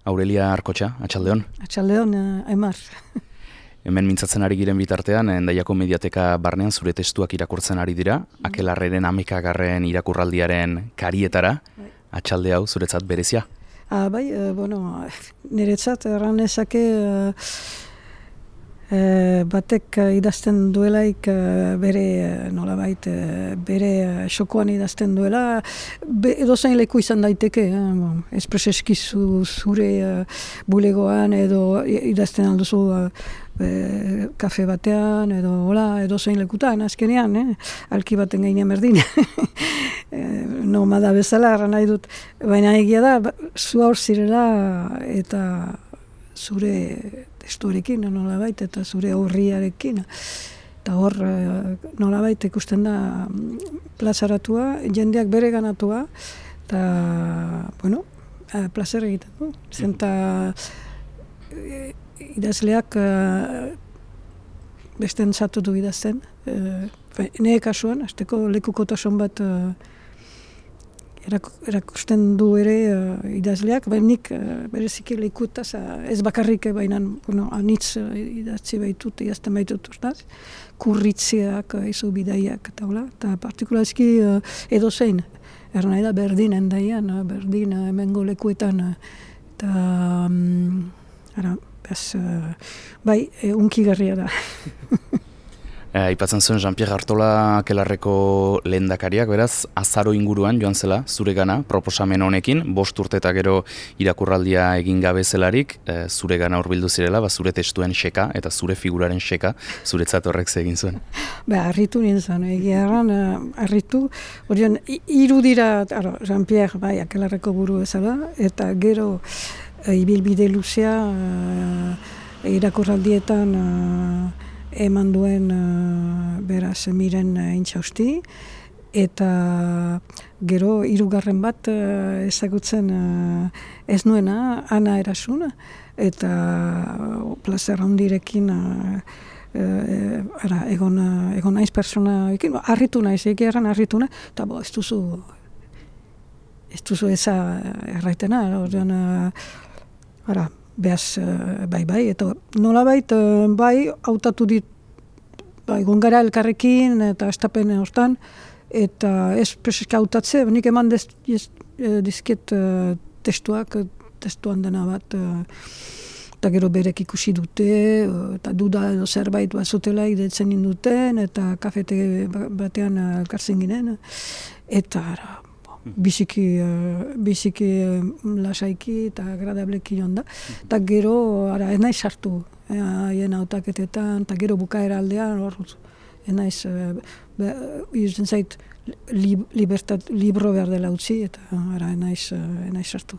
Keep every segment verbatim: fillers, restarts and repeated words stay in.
Aurelia Arkotxa, atxaldeon. Atxaldeon, uh, Aimar. Hemen mintzatzen ari giren bitartean, Hendaiako Mediateka barnean zure testuak irakurtzen ari dira, mm. Akelarreren amekagarren irakurraldiaren karietara, bai. Atxalde hau zuretzat berezia? Ah, bai, uh, bueno, niretzat erran ezake uh, uh, batek uh, idazten duelaik uh, bere, uh, nolabait, uh, bere uh, xokoan idazten duela, be, edozain leku izan daiteke, eh? Bon, espreseski zu, zure uh, bulegoan edo idazten alduzu uh, E, kafe batean edo hola edo zein lekutan azkenean, eh? Alki baten gainean berdin e, nomada bezala erran nahi dut, baina egia da zu hor zirela eta zure testuarekin nolabait eta zure aurriarekin eta hor nolabait ikusten da plazaratua, jendeak bere ganatua eta bueno, plazer egiten du, zenta e, idazleak uh, besten zatu du idazten. Uh, Nire kasuan, azteko lekukotasun bat uh, erak, erakusten du ere uh, idazleak, baina nik uh, bereziki lekutaz, uh, ez bakarrik, baina bueno, anitz uh, idatzi baitut, idazten baitut, ustaz, kurritziak, uh, izu bidaiak, eta hola, eta partikularski uh, edo zein, erran nahi da berdin endaian, uh, berdin uh, hemengo lekuetan, uh, eta um, ara, Bez, uh, bai, e, unkigarria da. Aipatzen zuen Jean-Pierre Artola Akelarreko lehendakariak, beraz, azaro inguruan joan zela, zure gana, proposamen honekin, bost urte eta gero irakurraldia egin gabe zelarik, e, zure gana hurbildu zirela, ba, zure testuen xeka eta zure figuraren xeka, zuretzat horrek egin zuen. Ba, harritu nintzen, egia erran, harritu, horion, hiru dira, Jean-Pierre, bai, Akelarreko buru ezala, eta gero, ibilbide luzea uh, irakurraldietan uh, eman duen uh, beraz miren uh, intxausti eta gero hirugarren bat uh, ezagutzen uh, ez nuena Ana Erasuna eta uh, plazer handirekin uh, uh, ara, egon, uh, egon naiz persona ekin, harritu naiz, egeran harritu naiz eta bo, ez duzu ez duzu eza erraitena ordean uh, Ara, behaz, bai, bai, eta nolabait, bai, hautatu dit, bai, gongara elkarrekin, eta estapen hortan, eta ez preseska hautatze, nik eman dez, ez, dizket uh, testuak, testuan dena bat, uh, eta gero berek ikusi dute, uh, eta duda edo zerbait bat zutela idetzen induten, eta kafete batean uh, elkartzen ginen, eta ara, biziki, uh, biziki uh, lasaiki eta agradableki joan da. Eta gero, ara, ez naiz sartu, haien hautaketetan, eta gero bukaera aldean, hor, ez naiz, uh, izten zait, lib, libertat, libro behar dela utzi, eta ara, ez naiz, uh, ez naiz sartu.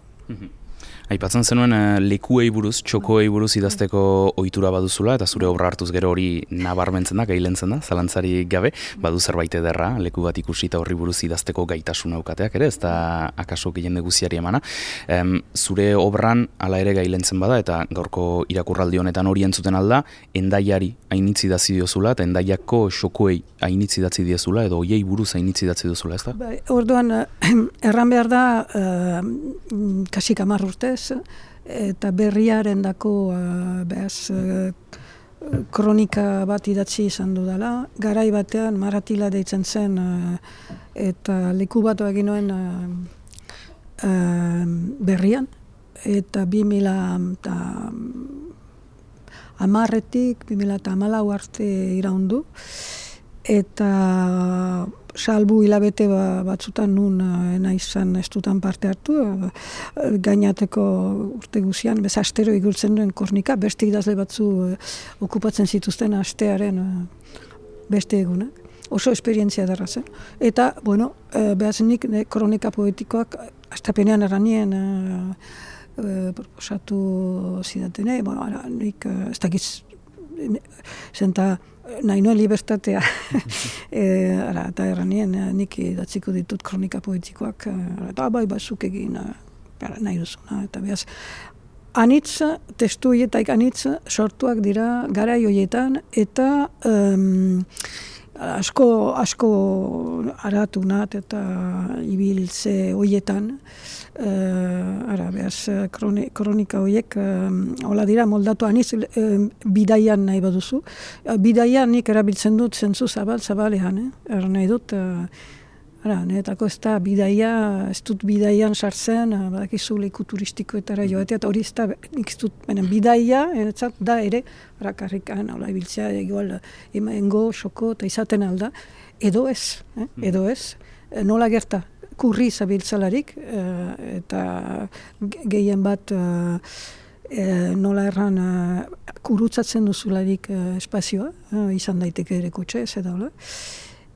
Aipatzen zenuen uh, lekuei buruz, txokoei buruz idazteko ohitura baduzula, eta zure obra hartuz gero hori nabarmentzen da, gailentzen da, zalantzari gabe, badu zerbait ederra, leku bat ikusi eta horri buruz idazteko gaitasun aukateak ere, ez da akaso jende guziari emana. Um, zure obran hala ere gailentzen bada, eta gaurko irakurraldi honetan hori entzuten alda, Hendaiari hainitzi idatzi diozula, eta Hendaiako xokoei hainitzi idatzi diozula, edo hoiei buruz hainitzi idatzi diozula, ez da? Ba, orduan, erran behar da, uh, kasik hamar urtez, eta berriaren dako uh, behaz uh, kronika bat idatzi izan dudala. Garai batean Maratila deitzen zen uh, eta leku bat egin nuen uh, uh, berrian. Eta bi mila hamarretik, bi mila hamalau arte iraundu. Eta salbu hilabete batzutan nun naizan ez dutan parte hartu, gainateko urte guzian, bez astero igultzen duen kornika, beste idazle batzu okupatzen zituzten astearen beste egunak. Oso esperientzia darra zen. Eta, bueno, behazenik kronika poetikoak astapenean erranien proposatu zidatene, bueno, ara, nik ez dakiz, zenta nahi nuen libertatea, e, ara, eta erranien nik idatziko ditut kronika poetikoak, eta bai bazuk egin ara, nahi duzuna, eta behaz, anitz, testu hietaik anitz sortuak dira garai horietan, eta um, asko, asko aratu nat eta ibiltze hoietan, uh, ara, behaz, kroni, kronika hoiek, uh, hola dira, moldatu aniz, uh, bidaian nahi baduzu. Uh, bidaian nik erabiltzen dut zentzu zabal, zabalean, eh? Er nahi dut, uh, ara, niretako ez da bidaia, ez dut bidaian sartzen, uh, badakizu leku turistikoetara joatea, eta hori ez da, nik ez dut, benen, bidaia, eretzat, da ere, rakarrikan, hola, ibiltzea, igual, emango, xoko, eta izaten alda, edo ez, eh? edo ez, nola gerta, kurri zabiltzalarik, uh, eta gehien bat, uh, uh, nola erran, uh, kurutzatzen duzularik uh, espazioa, uh, izan daiteke ere kotxe, ez da, hola.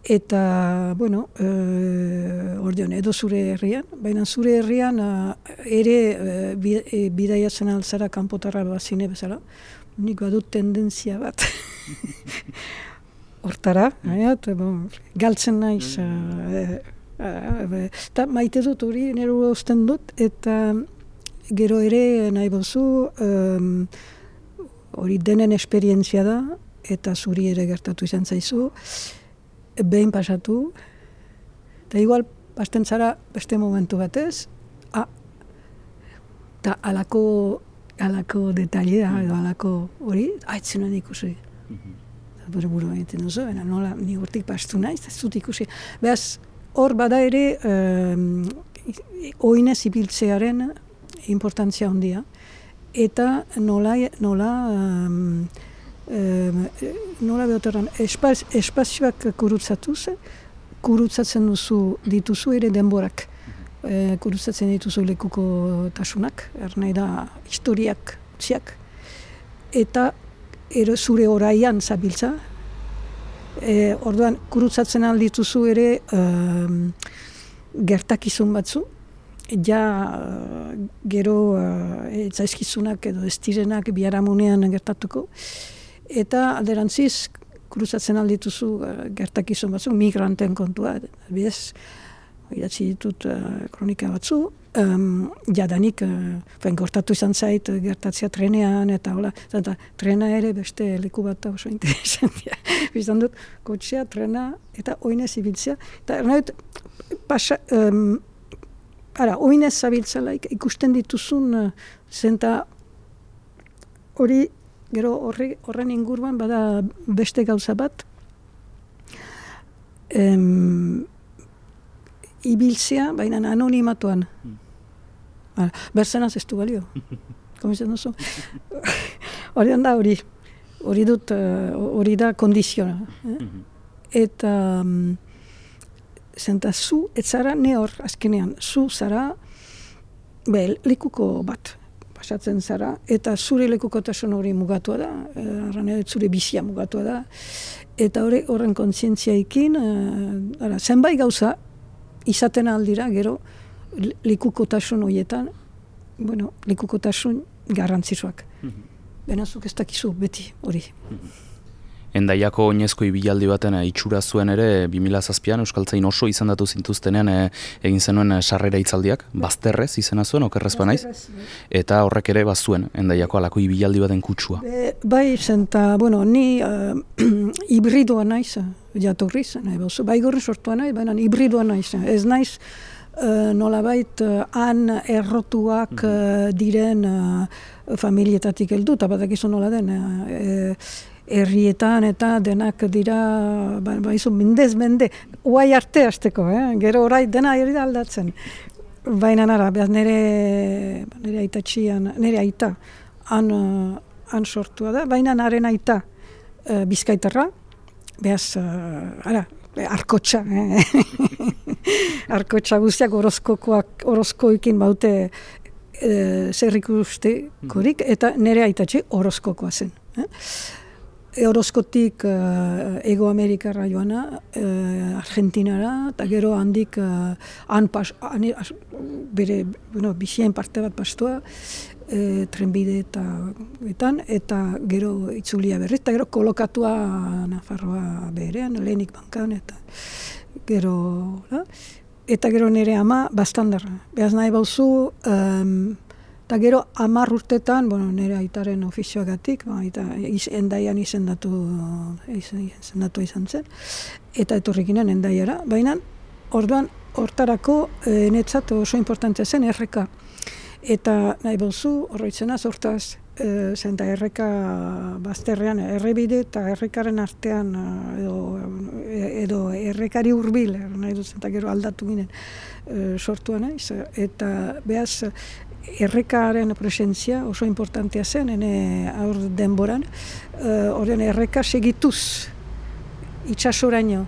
Eta, bueno, uh, ordeon, edo zure herrian, baina zure herrian uh, ere uh, bidaiatzen altzara kanpotarra bazine bezala, nik badut tendentzia bat. Hortara, eta bon, galtzen naiz, uh, eta uh, maite dut hori, nire usten dut, eta gero ere nahi bozu, um, hori denen esperientzia da, eta zuri ere gertatu izan zaizu, behin pasatu, eta igual pasten zara beste momentu batez, ah, eta alako, alako detailea, edo alako hori, haitzen ikusi. Bere buru egiten duzu, ena nola ni hortik pastu naiz, ez dut ikusi. Beaz, hor bada ere, um, oinez ibiltzearen importantzia handia, eta nola, nola um, Um, nola behoteran, espaz, espazioak kurutzatuz, kurutzatzen duzu dituzu ere denborak. E, kurutzatzen dituzu lekuko tasunak, ernai da historiak utziak, eta ero zure oraian zabiltza. E, orduan, kurutzatzen aldituzu ere um, gertakizun batzu, ja uh, gero uh, etzaizkizunak edo ez direnak biharamunean gertatuko, eta alderantziz, kuruzatzen aldituzu uh, gertakizun batzu, migranten kontua, bidez, idatzi ditut uh, kronika batzu, um, jadanik, uh, gortatu izan zait, gertatzea trenean, eta hola, eta trena ere beste leku bat oso interesantia. Bizan dut, kotxea, trena, eta oinez ibiltzea, eta ernait, pasa, um, ara, oinez zabiltzala ikusten dituzun, uh, zenta hori, gero horri, horren inguruan bada beste gauza bat, em, ibiltzea, baina anonimatuan. Mm. Berzenaz ez du balio. Komitzen duzu? Hori da hori. Hori dut, hori da kondiziona. Eh? Eta, um, zenta zu, ez zara ne hor, azkenean, zu zara, be, likuko bat. Pasatzen zara, eta zure lekukotasun hori mugatua da, e, zure bizia mugatua da, eta hori horren kontzientziaikin, e, zenbait gauza izaten aldira, gero lekukotasun horietan, bueno, lekukotasun garrantzitsuak. Mm-hmm. Benazuk ez dakizu beti hori. Mm-hmm. Endaiako oinezko ibilaldi baten itxura zuen ere, bi mila zazpian Euskaltzain oso izendatu zintuztenean e, egin zenuen sarrera hitzaldiak, bazterrez izena zuen, okerrez banaiz, eta horrek ere bazuen, Endaiako alako ibilaldi baten kutsua. Be, bai, zenta, bueno, ni uh, hibridoa naiz, jatorriz, nahi bozu, bai gorri sortua naiz, baina hibridoa naiz, ez naiz, Uh, nolabait uh, han errotuak uh, diren uh, familietatik heldu, eta badakizu nola den, uh, herrietan eta denak dira, ba, baizu, mendez, mende, uai arte hasteko, eh? Gero orai dena herri da aldatzen. Baina nara, behaz nire, nire aitatxian, nire aita, han, uh, han sortua da, baina naren aita uh, bizkaitarra, behaz, uh, ara, arkotxa, eh? Arkotxa guztiak orozkokoak, orozkoekin baute e, zer ikustekorik, eta nire aitatxe orozkokoa zen. Eh? E, orozkotik e, Ego Amerikara joana, e, Argentinara, eta gero handik e, han pas, han, as, bere, bueno, bizien parte bat pastua, e, trenbide eta etan, eta gero itzulia berriz, eta gero kolokatua Nafarroa berean, lehenik bankan, eta gero, la? Eta gero nire ama bastandarra. Behaz nahi bauzu, um, Eta gero hamar urtetan, bueno, nire aitaren ofizioagatik, ba, eta iz, endaian izendatu, izendatu izan zen, eta etorrikinen endaiara, baina orduan hortarako e, netzat oso importantea zen erreka. Eta nahi bozu, horretzena zortaz, e, zenta erreka bazterrean, errebide eta errekaren artean, edo, edo errekari hurbil, nahi dut zenta gero aldatu ginen e, sortua naiz, eta behaz, errekaren presentzia oso importantea zen, ene aur denboran, horren uh, erreka segituz itxasoraino.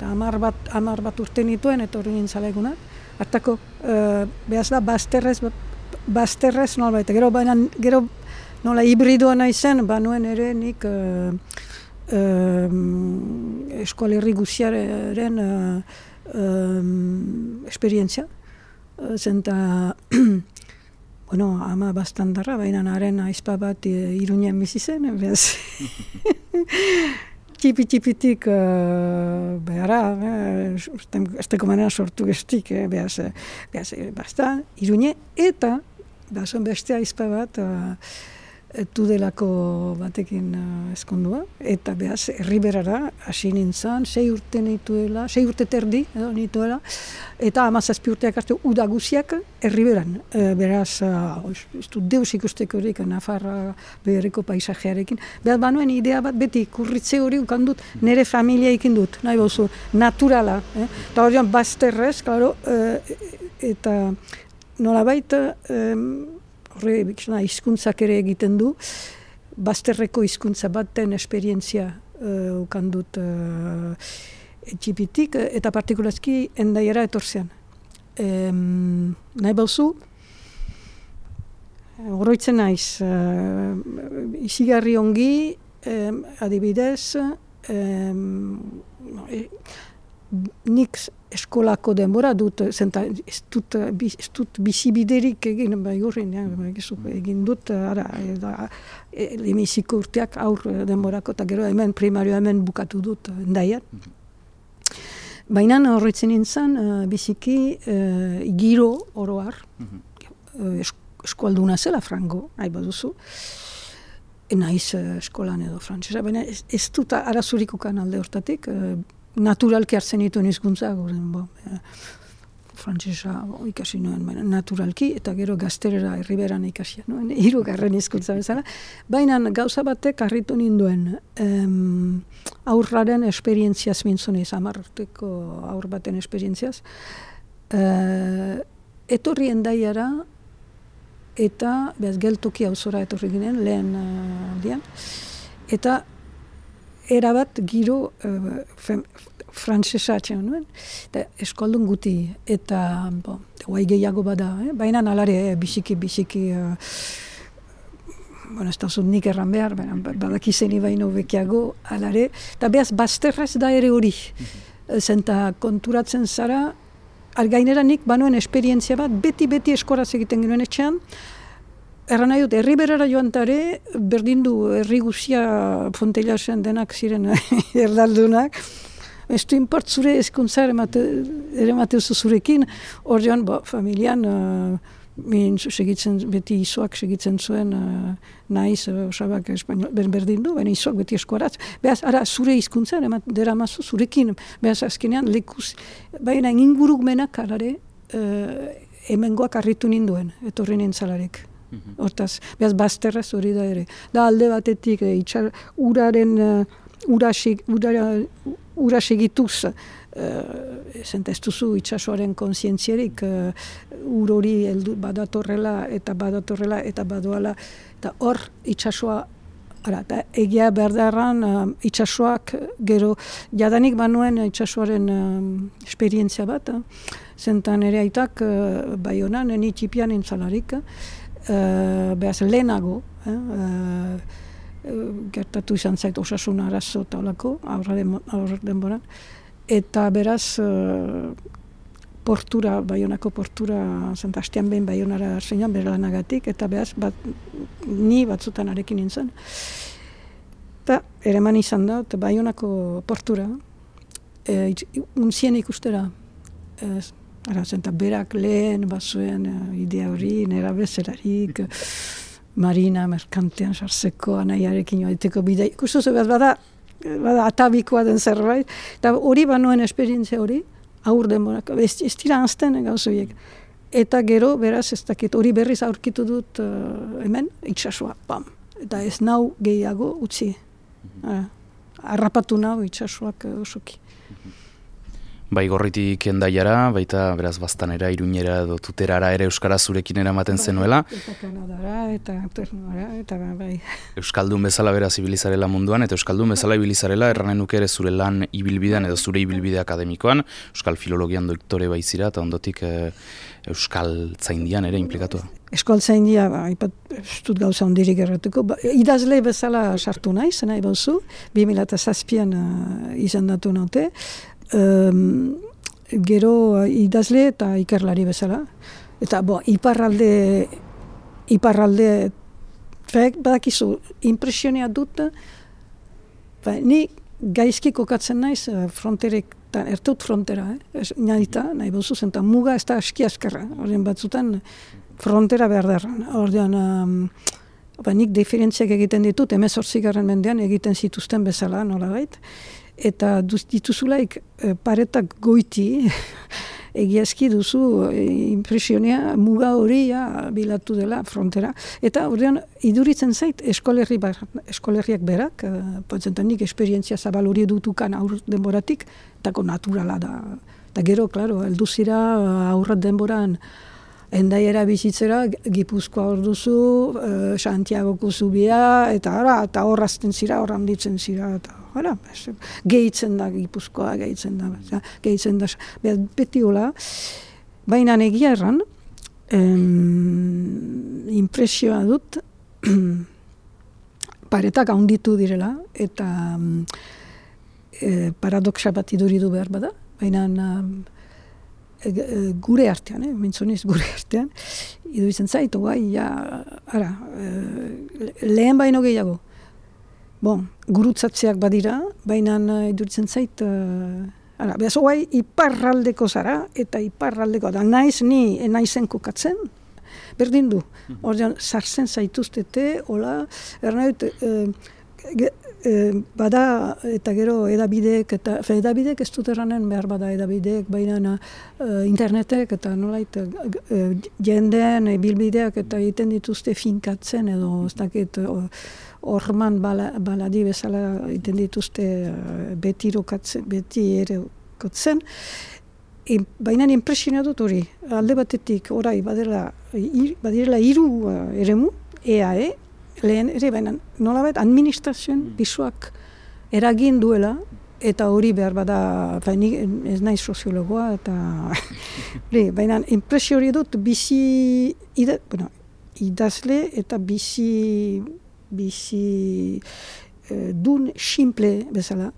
Hamar bat, hamar bat urte nituen, eta hori nintzalegunak. Hartako, uh, behaz da, bazterrez, bazterrez nolbait. Gero, baina, gero nola hibridoa nahi zen, banuen ere nik uh, uh, eskoalerri guziaren uh, um, esperientzia. Uh, zenta, bueno, ama bastandarra, baina haren aizpa bat e, Iruñean bizi zen, behaz. Txipi-txipitik uh, behara, eh, esteko manera sortu gestik, eh, behaz, behaz, bastan, Iruñe, eta bazon beste aizpa bat uh, tudelako batekin uh, eskondua, eta behaz, herriberara hasi nintzen, sei urte nituela, sei urte terdi, edo nituela, eta hamazazpi urteak arte udaguziak herriberan. E, beraz, uh, ez du deus ikustekorik Nafarra beherreko paisajearekin. Behaz, banuen idea bat beti kurritze hori ukandut, nire familia ikin dut, nahi bozu, naturala. Eh? Eta horian bazterrez, klaro, e, eta nolabait, e, horre, hizkuntzak ere egiten du, bazterreko hizkuntza baten esperientzia uh, ukandut uh, txipitik, eta partikulazki endaiera etorzean. Um, nahi bauzu, horroitzen naiz, uh, izigarri ongi, um, adibidez, um, e, nik eskolako denbora dut, zenta, ez dut, ez dut bizibiderik egin, bai horrein, ja, egin dut, ara, lemiziko urteak aur denborako, eta gero hemen, primario hemen bukatu dut endaian. Baina horretzen nintzen, uh, biziki uh, giro oroar, uh, eskualduna zela frango, nahi baduzu, naiz uh, eskolan edo frantzesa, baina ez, ez dut arazurik ukan alde hortatik, uh, naturalki hartzen dituen hizkuntza, bo, e, frantzesa ikasi nuen, baina naturalki, eta gero gazterera herriberan ikasi nuen, hirugarren hizkuntza bezala. Baina gauza batek harritu ninduen, em, aurraren esperientziaz mintzunez, amarteko aur baten esperientziaz, e, etorri endaiara, eta behaz geltoki auzora etorri ginen, lehen aldian, eta erabat giro uh, frantzesa atxean nuen, eta eskoldun guti, eta bo, guai gehiago bada, eh? Baina nalare eh, bisiki, bisiki, uh, bueno, ez da zut nik erran behar, badakizeni baino bekiago, alare, eta behaz bazterraz da ere hori, mm-hmm. Zenta konturatzen zara, algainera nik banuen esperientzia bat, beti-beti eskoraz egiten genuen etxean, erran nahi dut, herriberara joan tare, berdin du herri guzia Fonteilasen denak ziren erdaldunak, ez du import zure ezkuntza ere mateuzu zurekin, hor joan, bo, familian, uh, min segitzen, beti izoak segitzen zuen, uh, naiz, uh, osabak espainol, berdin du, baina izoak beti eskuaratz. Behaz, ara, zure hizkuntza dera mazu zurekin, behaz, azkenean, lekuz, baina ingurukmenak alare, uh, hemengoak harritu ninduen, etorri nintzalarek. Hortaz, behaz, bazterraz hori da ere. Da alde batetik, e, itxar, uraren, uh, ura, ura, ura segituz, uh, zenta ez duzu itxasoaren kontzientzierik, uh, ur hori heldu badatorrela eta badatorrela eta badoala, eta hor itxasoa, ara, eta egia berdarran uh, itxasoak gero, jadanik banuen itxasoaren uh, esperientzia bat, uh, zenta nire aitak uh, Baionan, ni txipian intzalarik, Uh, behaz lehenago, eh, uh, gertatu izan zait osasun arazo taulako, aurra denboran, eta beraz uh, portura, Baionako portura, zenta hastean behin Baionara zeinan bere lanagatik, eta beraz bat, ni batzutan arekin nintzen. Eta ereman izan da, Baionako portura, e, unzien ikustera, e, Ara, zenta berak lehen bazuen uh, idea hori, nera bezerarik, marina, merkantean sartzeko, anaiarekin joaiteko bidea. Ikustu behar bada, bada atabikoa den zerbait, eta hori banuen esperientzia hori, aur denborak, ez, ez dira anzten gauzoiek. Eta gero, beraz, ez dakit, hori berriz aurkitu dut uh, hemen, itxasua, pam. Eta ez nau gehiago utzi. Uh, arrapatu nau itxasuak uh, osoki. Bai, Gorritik Hendaiara, baita beraz Baztanera, Iruñera edo Tuterara ere euskara zurekin eramaten bai, zenuela. Eta Kanadara, eta Ternuara, eta bai. Euskaldun bezala beraz ibilizarela munduan, eta Euskaldun bezala ibilizarela erranen nuke ere zure lan ibilbidean edo zure ibilbide akademikoan, Euskal Filologian doktore baizira, eta ondotik e, Euskal Tzaindian ere implikatua. Euskal Tzaindia, ba, ipat, ez dut gauza ondirik errateko, ba, idazle bezala sartu naiz, nahi bauzu, bi mila zazpian uh, izendatu naute, Um, gero idazle eta ikerlari bezala. Eta bo, iparralde, iparralde, fek, badakizu, impresionea dut, ba, ni gaizki kokatzen naiz fronterek, erteut frontera, eh? Naita, nahi bozu zen, muga ez da aski askarra, ordean batzutan frontera behar darran. Ordean, um, ba, nik diferentziak egiten ditut, hemezortzigarren mendean egiten zituzten bezala, nolabait. Eta dituzulaik paretak goiti, egiazki duzu impresionea muga hori ja, bilatu dela frontera. Eta ordean iduritzen zait eskolerri bar, eskolerriak berak, potzentan nik esperientzia zabal hori dutukan aur denboratik, etako naturala da. Eta gero, klaro, elduzira aurrat denboran Hendaiara bizitzera, Gipuzkoa hor duzu, uh, Santiagoko zubia, eta ara, eta horrazten zira, horram ditzen zira, eta ara, gehitzen da Gipuzkoa, gehitzen da, gehitzen da, beti hola. Baina egia erran, em, impresioa dut, paretak handitu direla, eta e, paradoxa bat iduridu behar bada, baina gure artean, eh, mintzoniz gure artean, iduritzen zaitu, bai, ja, ara, e, lehen baino gehiago. Bon, gurutzatzeak badira, baina iduritzen zait, uh, ara, behaz, oai, iparraldeko zara, eta iparraldeko, da naiz, ni naizen kokatzen, berdin du. Ordean, sartzen zaituztete, hola, ernaut, uh, E, bada eta gero edabideek eta fe, edabideek ez dut erranen behar bada edabideek, baina uh, internetek eta nolait uh, jendeen bilbideak eta egiten dituzte finkatzen edo ez dakit horman uh, bala, baladi bezala egiten dituzte uh, beti rokatzen, beti ere kotzen. E, baina impresioa dut hori, alde batetik orai badela, ir, badirela hiru uh, eremu, E A E, lehen ere, baina nolabait administrazioen pisuak eragin duela, eta hori behar bada, baina ez nahi soziologoa, eta baina impresio hori dut bizi, ida, bueno, idazle eta bizi, bizi eh, dun simple bezala,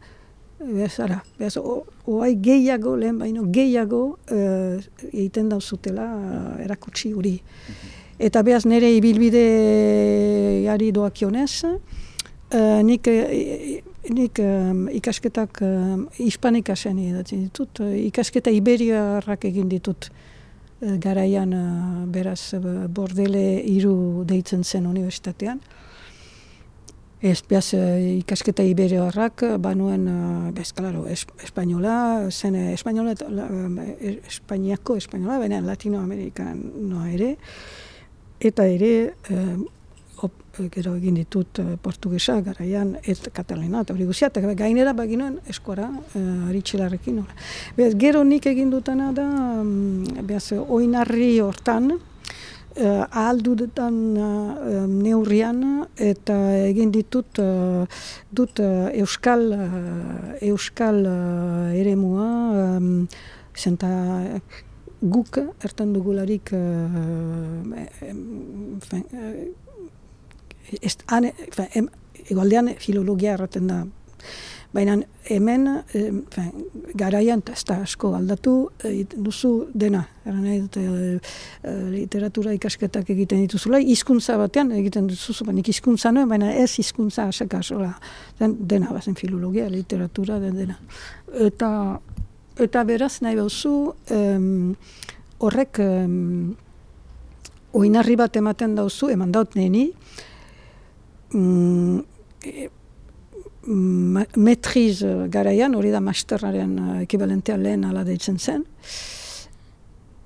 bezala, bezala, oai gehiago, lehen baino gehiago eh, egiten dauzutela eh, erakutsi hori. Eta behaz nire ibilbideari doakionez, uh, nik, nik um, ikasketak um, hispanikasen edatzen ditut, uh, ikasketa iberiarrak egin ditut uh, garaian uh, beraz uh, Bordele hiru deitzen zen unibertsitatean. Ez behaz uh, ikasketa iberiarrak banuen, uh, bez, klaro, es, espainola, zen espainola, uh, espainiako espainola, baina Latinoamerikan noa ere, eta ere, eh, op, gero egin ditut eh, portugesa, garaian, eta katalena, eta hori guzia, eta gainera baginuen eskora, eh, aritxelarrekin. Beaz, gero nik egin dutana da, beaz, oinarri hortan, eh, ahal dudetan eh, neurrian, eta egin ditut, eh, dut eh, euskal, eh, euskal eh, eremua, eh, zenta, guk ertan dugularik uh, egualdean filologia erraten da. Baina hemen eh, garaian ez da asko aldatu duzu dena. Eh, literatura ikasketak egiten dituzula, hizkuntza batean egiten duzu, baina hizkuntza noen, baina ez hizkuntza aseka sola. Dena bazen filologia, literatura, den dena. Eta eta beraz nahi bauzu um, horrek um, oinarri bat ematen dauzu, eman daut neni, um, e, metriz garaian, hori da masterraren ekibalentea lehen ala deitzen zen,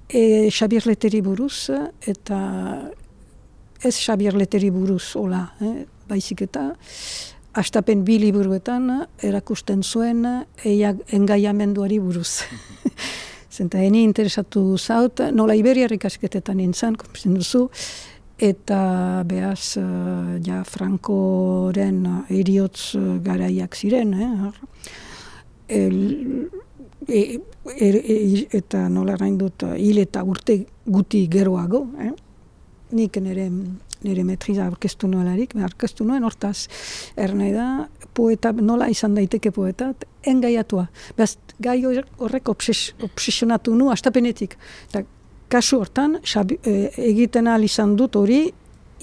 e, Xabier Leteri buruz, eta ez Xabier Leteri buruz, hola, eh, baizik eta, hastapen bi liburuetan erakusten zuen eiak engaiamenduari buruz. Zenta, eni interesatu zaut, nola Iberiar ikasketetan nintzen, komprezen duzu, eta behaz, uh, ja, Frankoren eriotz garaiak ziren, eh? El, e, e, e, eta nola rain dut, hil eta urte guti geroago, eh? Nik nire, nire metriza aurkeztu nuelarik, aurkeztu nuen, hortaz, ernai da, poeta, nola izan daiteke poeta, engaiatua. Behaz, gai horrek obses, obsesionatu nu, astapenetik. Eta kasu hortan, xabi, e, egiten ahal izan dut hori,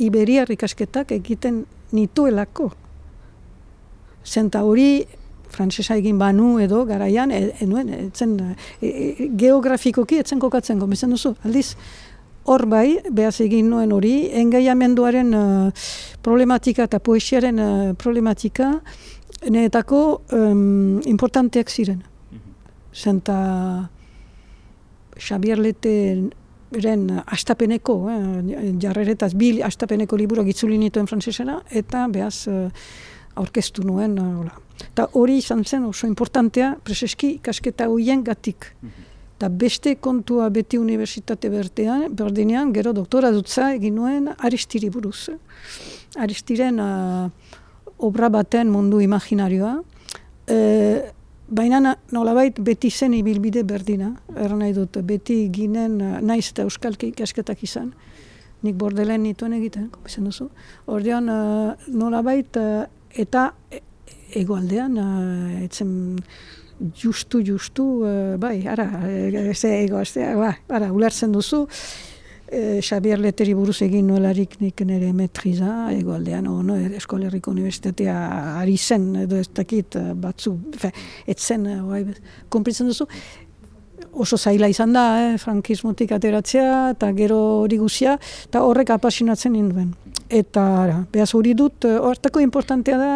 Iberiar ikasketak egiten nituelako. Zenta hori, frantsesa egin banu edo garaian, enuen, e, etzen, e, e, geografikoki etzen kokatzen gomezen duzu. Aldiz, hor bai, behaz egin nuen hori, engaiamenduaren uh, problematika eta poesiaren uh, problematika, neetako um, importanteak ziren. Zenta Xabier Leteren astapeneko, eh, jarreretaz bil astapeneko liburuak itzuli nituen frantsesera, eta behaz uh, aurkeztu nuen. Uh, eta hori izan zen oso importantea, preseski ikasketa hoien gatik. Eta beste kontua beti unibertsitate bertean, berdinean, gero doktora dutza egin nuen Aristiri buruz. Aristiren uh, obra baten mundu imaginarioa. E, baina nolabait beti zen ibilbide berdina. Erra nahi dut, beti ginen uh, naiz eta euskalki ikasketak izan. Nik bordelen nituen egiten, komisen duzu. Ordean uh, nolabait uh, eta egoaldean uh, etzen justu, justu, uh, bai, ara, ze ego, ze, ba, ara, ulertzen duzu, e, Xabier Leteri buruz egin nuelarik nik nire metriza, egoaldean, o, no, Euskal Herriko Unibertsitatea ari zen, edo ez dakit batzu, fe, etzen, bai, konpritzen duzu, oso zaila izan da, eh, frankismotik ateratzea, eta gero hori guzia, eta horrek apasionatzen ninduen. Eta, ara, behaz hori dut, hortako importantea da,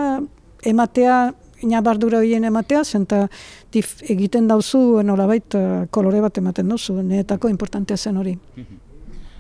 ematea, inabardura horien ematea, zenta dif, egiten dauzu nolabait kolore bat ematen duzu, neetako importantea zen hori.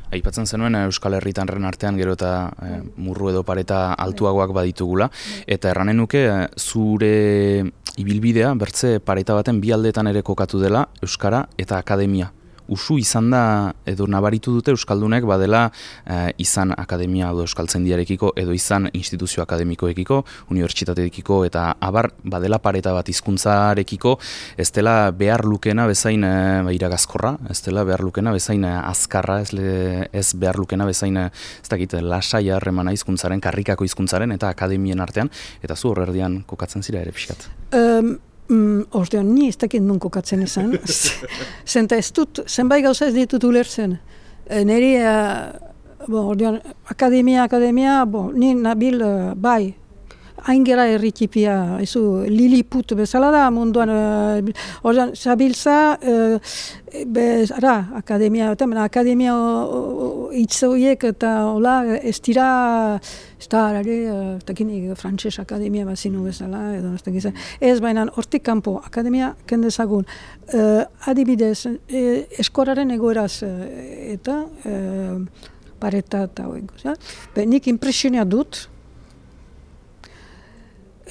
Aipatzen zenuen Euskal Herritarren artean gero eta e, murru edo pareta altuagoak baditugula, eta erranen nuke zure ibilbidea bertze pareta baten bi aldeetan ere kokatu dela Euskara eta akademia. Usu izan da, edo nabaritu dute Euskaldunek badela eh, izan akademia edo euskaltzaindiarekiko edo izan instituzio akademikoekiko, unibertsitateekiko eta abar badela pareta bat hizkuntzarekiko, ez dela behar lukena bezain eh, iragazkorra, ez dela behar lukena bezain azkarra, ez, le, ez behar lukena bezain ez dakit, lasaia harremana hizkuntzaren, karrikako hizkuntzaren eta akademien artean, eta zu horrerdian kokatzen zira ere pixkat. Um, Mm, Ordean, ni ez dakit nun kokatzen esan. Zenta ez dut, zenbait gauza ez ditut ulertzen. E, neri, uh, bo, ordean, akademia, akademia, bo, ni nabil, uh, bai, hain gera erritipia, ezu, Lilliput bezala da munduan, uh, ordean, zabiltza, uh, bez, ara, akademia, eta, akademia hitz horiek eta hola, ez dira, ez da, arare, ez dakinik, frantses akademia bazinu bezala, edo ez dakitzen. Ez baina, hortik kanpo, akademia kendezagun. Uh, adibidez, eh, eskoraren egoeraz, eta uh, pareta eta hori. Nik impresionia dut,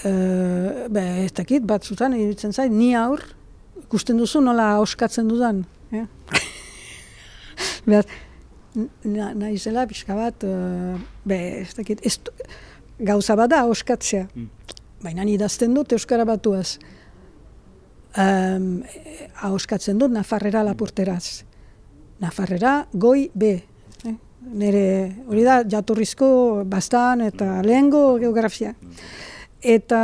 uh, be, ez dakit, batzutan, iruditzen zait, ni aur, ikusten duzu nola oskatzen dudan. Eh? Behar, Na, naizela pixka bat, uh, be, ez dakit, ez, gauza bada oskatzea. Mm. Baina idazten dut Euskara batuaz. Um, oskatzen dut Nafarrera lapurteraz. Nafarrera goi be. Eh? Nere, hori da, jatorrizko bastan eta lehengo geografia. Eta,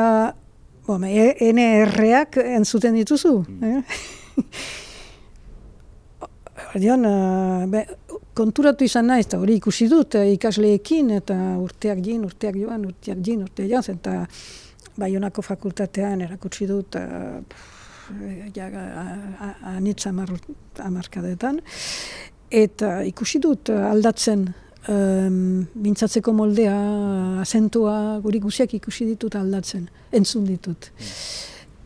bon, ene erreak entzuten dituzu. Eh? Ordean, uh, be, konturatu izan naiz, eta hori ikusi dut uh, ikasleekin, eta urteak jin, urteak joan, urteak jin, urteak joan, eta Baionako fakultatean erakutsi dut uh, ja, anitza hamarkadetan, eta ikusi dut aldatzen um, mintzatzeko moldea, azentua, guri guziak ikusi ditut aldatzen, entzun ditut.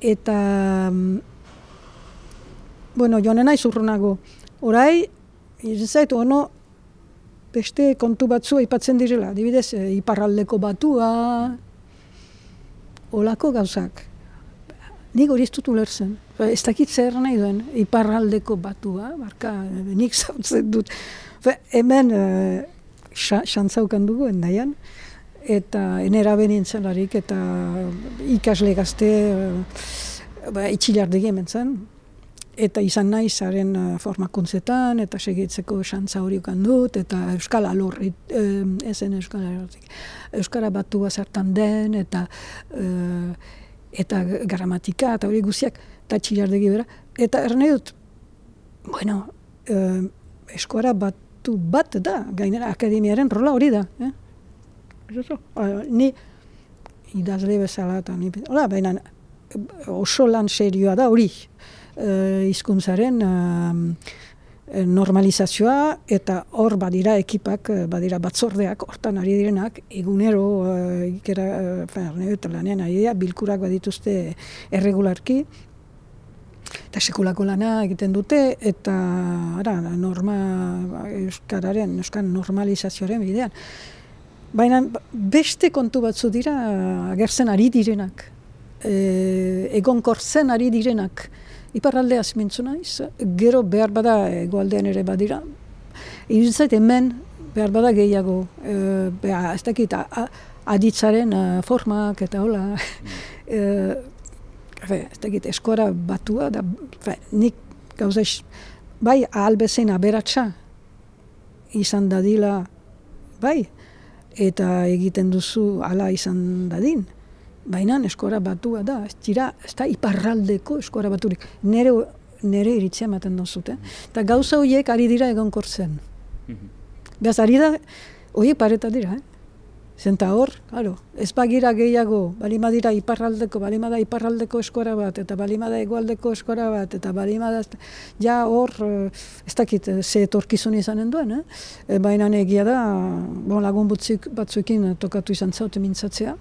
Eta, um, bueno, joan naiz urrunago, orai, izan ono, beste kontu batzu aipatzen direla, adibidez, iparraldeko batua, olako gauzak. Nik hori ez dut ulertzen. Ez dakit zer nahi duen, iparraldeko batua, barka, nik zautzen dut. Hemen xantzaukan uh, dugu, endaian, eta enera benintzen larik, eta ikasle gazte uh, ba, itxilardegi hemen zen. Eta izan nahi zaren uh, formakuntzetan, eta segitzeko xantza hori ukan dut, eta euskal alorri, eh, ezen euskal alorri, euskara batua zertan den, eta uh, eta gramatika, eta hori guziak, eta txilardegi bera. Eta erne dut, bueno, uh, eskora batu bat da, gainera akademiaren rola hori da. Eh? Uh, ni idazle bezala, eta ni, hola, baina oso lan serioa da hori. Uh, hizkuntzaren uh, normalizazioa, eta hor badira ekipak, badira batzordeak, hortan ari direnak, egunero uh, ikera, uh, eta lanean ari dira, bilkurak badituzte erregularki, eta sekulako lana egiten dute, eta ara, norma, euskararen, euskal normalizazioaren bidean. Baina beste kontu batzu dira agertzen ari direnak, e, egonkortzen ari direnak, iparraldeaz mintzu naiz, gero behar bada egoaldean ere badira. Iruditzait hemen behar bada gehiago, e, beha, ez dakit, aditzaren formak eta hola, e, ez dakit, eskora batua, da, fe, nik gauza, bai, ahalbezein aberatsa izan dadila, bai, eta egiten duzu hala izan dadin. Baina eskora batua da, ez dira, ez da iparraldeko eskora baturik. Nere, nere iritzia ematen dozute. Eta gauza horiek ari dira egonkortzen. Beaz, ari da, horiek pareta dira, eh? Zenta hor, claro, ez bagira gehiago, balima dira iparraldeko, balima da iparraldeko eskora bat, eta balima da egoaldeko eskora bat, eta balima da, ja hor, ez dakit, ze etorkizun izanen duen, eh? Baina egia da, bon, lagun batzuekin tokatu izan zaute mintzatzea,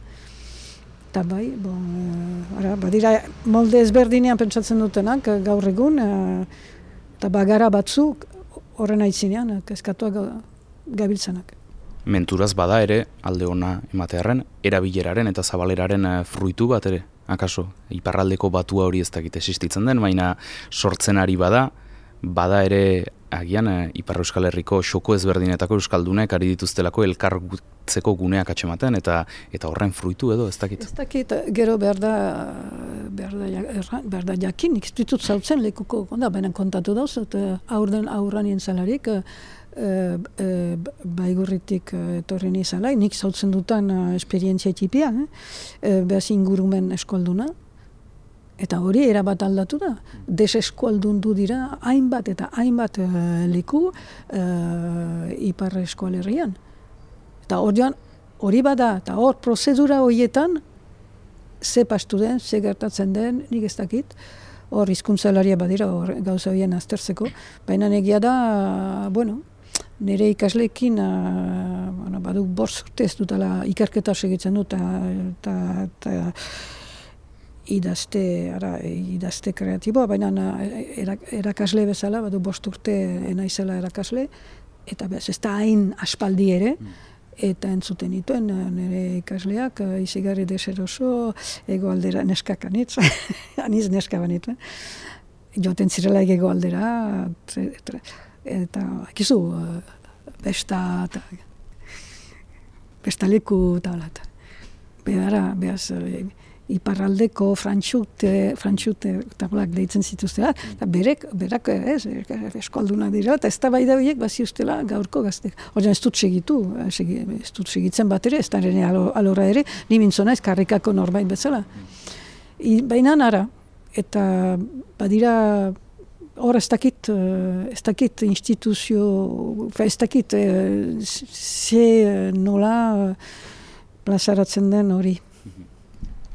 eta bai, bon, ara, badira, molde ezberdinean pentsatzen dutenak gaur egun, eta bagara batzuk horren aitzinean, kezkatuak gabiltzanak. Menturaz bada ere, alde ona ematearen, erabileraren eta zabaleraren fruitu bat ere, akaso, iparraldeko batua hori ez dakit existitzen den, baina sortzen ari bada, bada ere, agian, Ipar Euskal Herriko xoko ezberdinetako euskaldunek ari dituztelako elkargutzeko guneak atxematen, eta eta horren fruitu edo, ez dakit? Ez dakit, gero behar da, behar da, behar da jakin, ez ditut zautzen lekuko, da, baina kontatu dauz, eta aurren aurran intzalarik, e, e, baigurritik etorri nizalai, nik zautzen dutan esperientzia tipia, eh? Behaz ingurumen eskolduna, eta hori erabat aldatu da. Deseskualdundu dira hainbat eta hainbat uh, leku uh, Ipar Euskal Herrian. Eta horian, hori bada, eta hor prozedura horietan, ze pastu den, ze gertatzen den, nik ez dakit, hor hizkuntzalaria badira, hor gauza horien aztertzeko, baina egia da, bueno, nire ikasleekin, uh, bueno, baduk bost urte ez dutala ikerketa segitzen dut, eta idazte, ara, idazte kreatiboa, baina erakasle bezala, badu bost urte naizela erakasle, eta bez, ez da hain aspaldi ere, eta entzuten dituen nire ikasleak, izigarri deseroso, egoaldera neskak anitz, aniz neska banit, joten zirela egoaldera, eta, akizu, besta, eta, besta leku, eta, eta, behara, behaz, iparraldeko frantxute, frantxute tablak deitzen zituztela, eta berek, berak ez, eskoldunak dira, eta ez da bai da horiek baziuztela gaurko gaztek. Horren ez dut segitu, ez dut segitzen bat ere, ez da ere alora ere, ni mintzona ez karrikako norbait bezala. I, baina nara, eta badira, hor ez dakit, ez dakit instituzio, ez dakit ze nola plazaratzen den hori.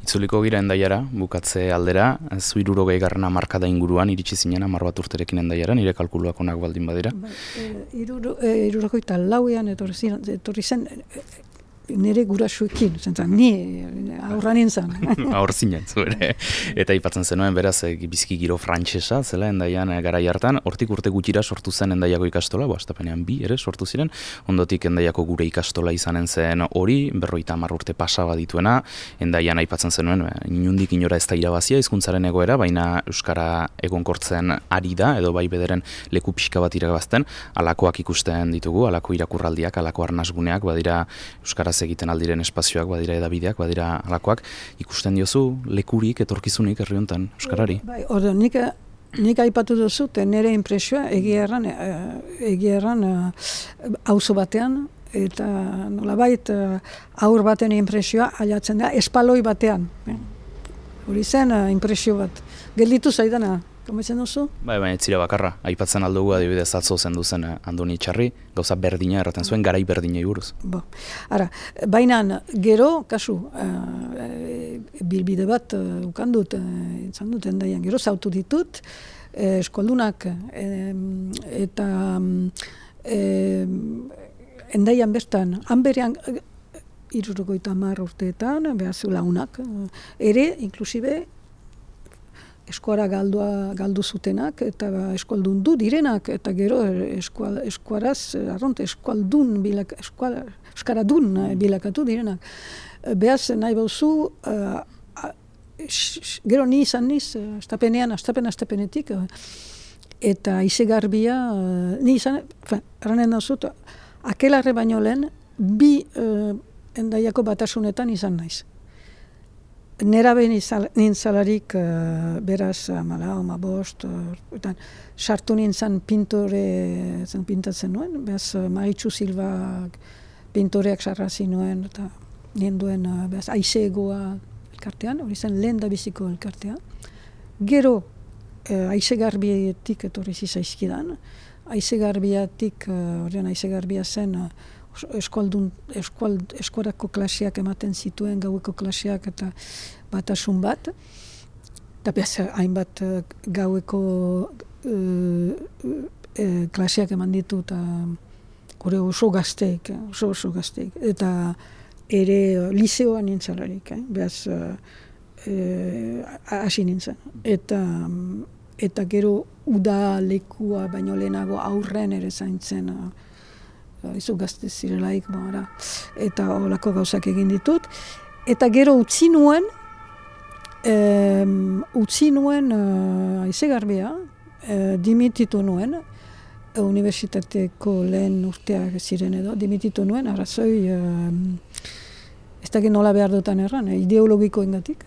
Itzuliko gira Hendaiara, bukatze aldera, zu hirurogei garrana markada inguruan iritsi zinen hamar bat urterekin Hendaiara, nire kalkuluak onak baldin badira. Hirurogeita lauean etorri zen nire gurasuekin, zentzen, ni aurra nintzen. Aur zinen, zu ere. Eta aipatzen zenuen, beraz, biziki giro frantsesa, zela Hendaian garai hartan, hortik urte gutxira sortu zen Hendaiako ikastola, bo, astapenean bi ere sortu ziren, ondotik Hendaiako gure ikastola izanen zen hori, berroita hamar urte pasa badituena, Hendaian aipatzen zenuen, inundik inora ez da irabazia hizkuntzaren egoera, baina euskara egonkortzen ari da, edo bai bederen leku pixka bat irabazten, alakoak ikusten ditugu, alako irakurraldiak, alako arnasguneak, badira euskaraz egiten aldiren espazioak, badira edabideak, badira alakoak, ikusten diozu lekurik, etorkizunik herri hontan euskarari. Bai, ordo, nik, nik aipatu duzu, nire impresioa egia erran, egia erran auzo batean, eta nolabait aur baten impresioa ailatzen da, espaloi batean. Hori zen impresio bat. Gelditu zaidana, kometzen duzu? Bai, baina ez zira bakarra. Aipatzen aldugu adibidez atzo zendu zen Andoni Txarri, gauza berdina erraten zuen, garai berdinei buruz. Bo. Ara, baina gero, kasu, uh, bilbide bat uh, ukan dut, uh, izan dut, Hendaian, gero zautu ditut, uh, eskoldunak, uh, eta uh, Hendaian bertan, hanberean, uh, hirurogeita hamar urteetan, behaz launak, uh, ere, inklusibe, eskuara galdua galdu zutenak eta eskoldun du direnak eta gero eskual, eskuaraz arronte eskualdun bilak eskuala euskaradun bilakatu direnak. Beaz nahi bauzu uh, gero ni izan niz astapenean astapen astapenetik eta izegarbia uh, ni izan erranen dauzut akelarre baino lehen bi uh, Hendaiako batasunetan izan naiz. Nera behin nintzalarik uh, beraz amala, oma bost, uh, sartu nintzen pintore zen pintatzen nuen, beraz uh, Maritxu Silva pintoreak sarrazi nuen, eta ninduen uh, beraz aizegoa elkartean, hori zen lehen da biziko elkartea. Gero uh, aizegarbietik etorri zizaizkidan, aizegarbiatik, horrean uh, aizegarbia zen, uh, Eskoldun, eskuald, eskuarako klaseak ematen zituen, gaueko klaseak eta batasun bat. Eta behaz, hainbat gaueko uh, uh, klaseak eman ditu eta gure oso gazteik, oso oso gazteik. Eta ere liseoan nintzalarik, eh? Behaz, hasi uh, uh, nintzen. Eta, eta gero uda lekua baino lehenago aurren ere zaintzen, uh, izu gazte zirelaik, bara. Eta olako gauzak egin ditut. Eta gero utzi nuen, um, utzi nuen uh, aizegarbia, uh, dimititu nuen, uh, universitateko lehen urteak ziren edo, dimititu nuen, arrazoi, uh, ez dakit nola behar dutan erran, eh, ideologiko ingatik.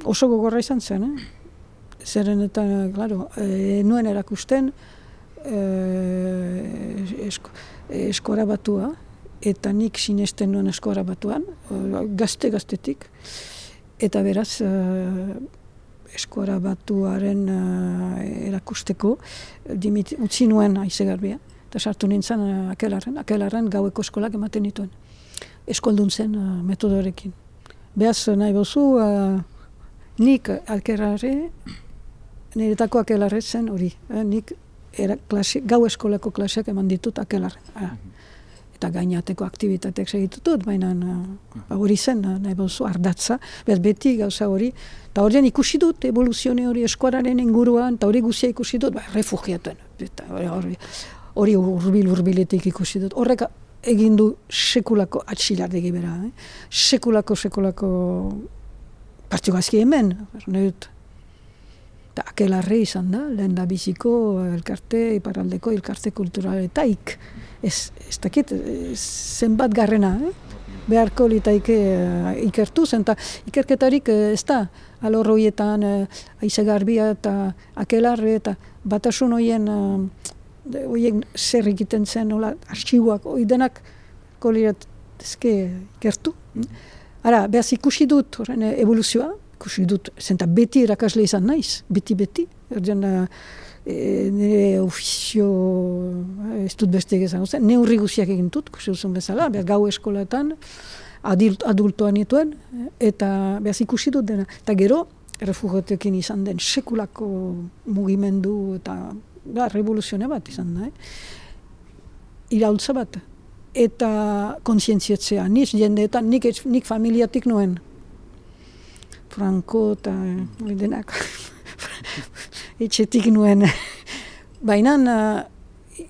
Oso gogorra izan zen, eh? Zeren eta, claro, eh, nuen erakusten, eh, esko, eskora batua, eta nik sinesten nuen eskora batuan, gazte-gaztetik, eta beraz uh, eskora batuaren uh, erakusteko dimit, utzi nuen aizegarbia, eta sartu nintzen uh, akelarren, akelarren gaueko eskolak ematen dituen, eskoldun zen uh, metodorekin. Beraz nahi bozu, uh, nik akelarre, niretako akelarre zen hori, eh, nik Era klase, gau eskolako klaseak eman ditut akelarren. Ah. Eta gainateko aktivitateak segitutut, baina uh, hori zen, nahi bauzu, ardatza, bez beti gauza hori. Eta horien ikusi dut, evoluzione hori eskuararen inguruan, eta hori guzia ikusi dut, ba, refugiatuen. Eta hori urbil-urbiletik ikusi dut. Horrek egin du sekulako atxilardegi bera. Eh? Sekulako, sekulako partugazki hemen, nahi dut. Eta akelarre izan da, lehen da biziko elkarte, iparraldeko elkarte kulturaletaik. Ez, ez dakit, zenbat garrena, eh? Beharko litaike uh, ikertu zen, eta ikerketarik uh, ez da, alor horietan uh, aizegarbia eta akelarre, eta batasun horien, uh, horien zer egiten zen, nola, arxiuak, hori denak kolirat ezke ikertu. Ara, behaz ikusi dut horren evoluzioa, ikusi dut, zenta beti erakasle izan naiz, beti-beti. Erdian, e, nire ofizio, ez dut beste egizan, neurri guziak egin dut, kusi duzun bezala, behar gau eskolatan, adult, adultoan nituen, eta behaz ikusi dut dena. Eta gero, refugiatekin izan den sekulako mugimendu eta da, revoluzioa bat izan da. Eh? Iraultza bat. Eta kontzientziatzea, niz jendeetan, nik, nik familiatik nuen. Franco eta eh, denak etxetik nuen. Baina uh,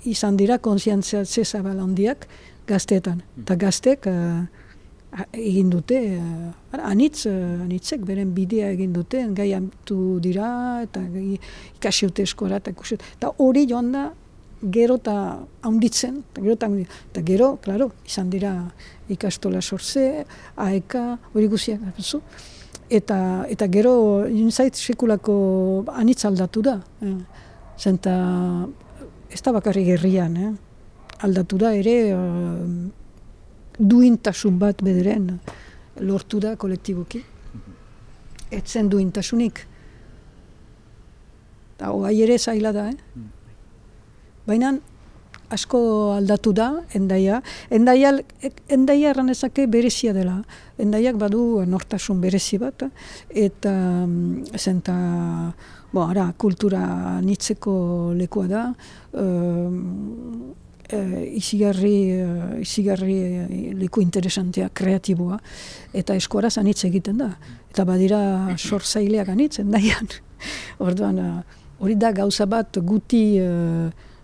izan dira kontzientziatze zabal handiak gazteetan. Eta gaztek uh, egin dute, uh, anitz, uh, anitzek beren bidea egin dute, gai amtu dira, eta gai ikasi dute eskora, eta hori joan da, gero eta haunditzen, eta gero eta haunditzen. Eta gero, klaro, izan dira ikastola sortze, A E K, hori guziak, zu. Eta, eta gero, inzait sekulako anitz aldatu da. Eh. Zenta, ez da bakarrik herrian, eh. Aldatu da ere, uh, duintasun bat bederen lortu da kolektiboki. Etzen duintasunik. Eta hoai ere zaila da, eh. Baina asko aldatu da, endaia. Endaia, endaia erranezake berezia dela. Endaiak badu nortasun berezi bat, eta zenta, bo, ara, kultura nitzeko lekua da, um, e, izigarri, izigarri leku interesantea, kreatiboa, eta eskuaraz anitz egiten da. Eta badira sortzaileak anitz, endaian. Orduan, hori da gauza bat guti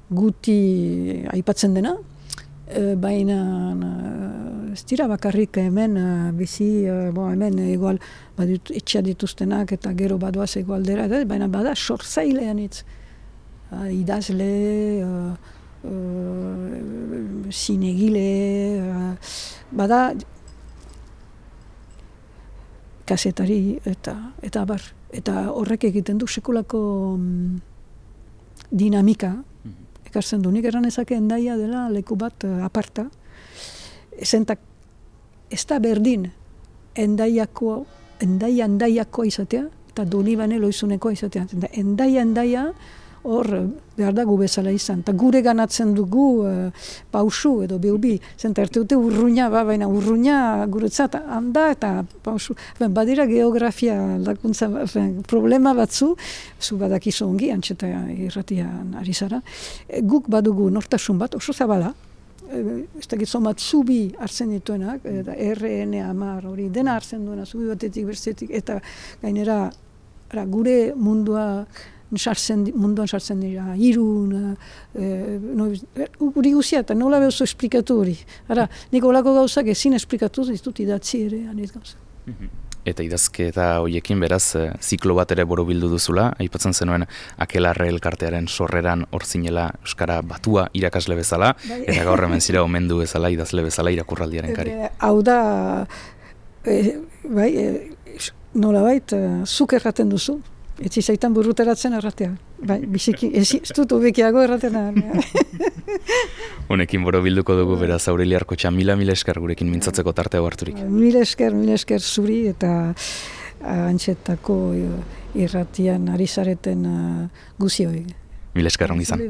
guti aipatzen dena, e, baina ez dira bakarrik hemen bizi, bo, hemen igual badut etxea dituztenak eta gero badoaz egualdera, baina bada sortzailean itz. Idazle, uh, uh, zinegile, uh, bada kasetari eta, eta bar. Eta horrek egiten du sekulako um, dinamika, ekartzen du. Nik eran ezake endaia dela leku bat uh, aparta. Zentak, ez da berdin endaiako, endaia endaiakoa izatea, eta Donibane loizunekoa izatea. Endaia endaia hor behar da gu bezala izan. Eta gure ganatzen dugu uh, pausu edo behubi. Zenta erte dute urruina, ba, baina urruina guretzat handa eta pausu. Ben, badira geografia lakuntza, ben, problema batzu, zu badakizu ongi, antxeta irratian ari zara. E, guk badugu nortasun bat, oso zabala, e, ez da gizon bat zubi hartzen dituenak, eta R N hamar hori dena hartzen duena, zubi batetik, berzetik, eta gainera ara, gure mundua sartzen, munduan sartzen dira, irun, e, no, uri guzia, eta nola behuzo esplikatu hori. Ara, nik olako gauzak ezin esplikatu ditut idatzi ere, aniz gauza. Eta idazketa horiekin beraz, ziklo bat ere borobildu duzula, aipatzen zenuen Akelarre elkartearen sorreran hor zinela euskara batua irakasle bezala, bai. Eta gaur hemen zira omendu bezala, idazle bezala irakurraldiaren kari. E, hau da, e, bai, e, nolabait, e, zuk erraten duzu. Etzi zaitan burruteratzen erratea. Bai, biziki, ez, ez dut obekiago erraten. Honekin borobilduko dugu beraz Aurelia Arkotxa, mila mila esker gurekin mintzatzeko tartea harturik. Mila esker, mila esker zuri eta antxetako irratian ari zareten guzioi. Mila esker ongi izan.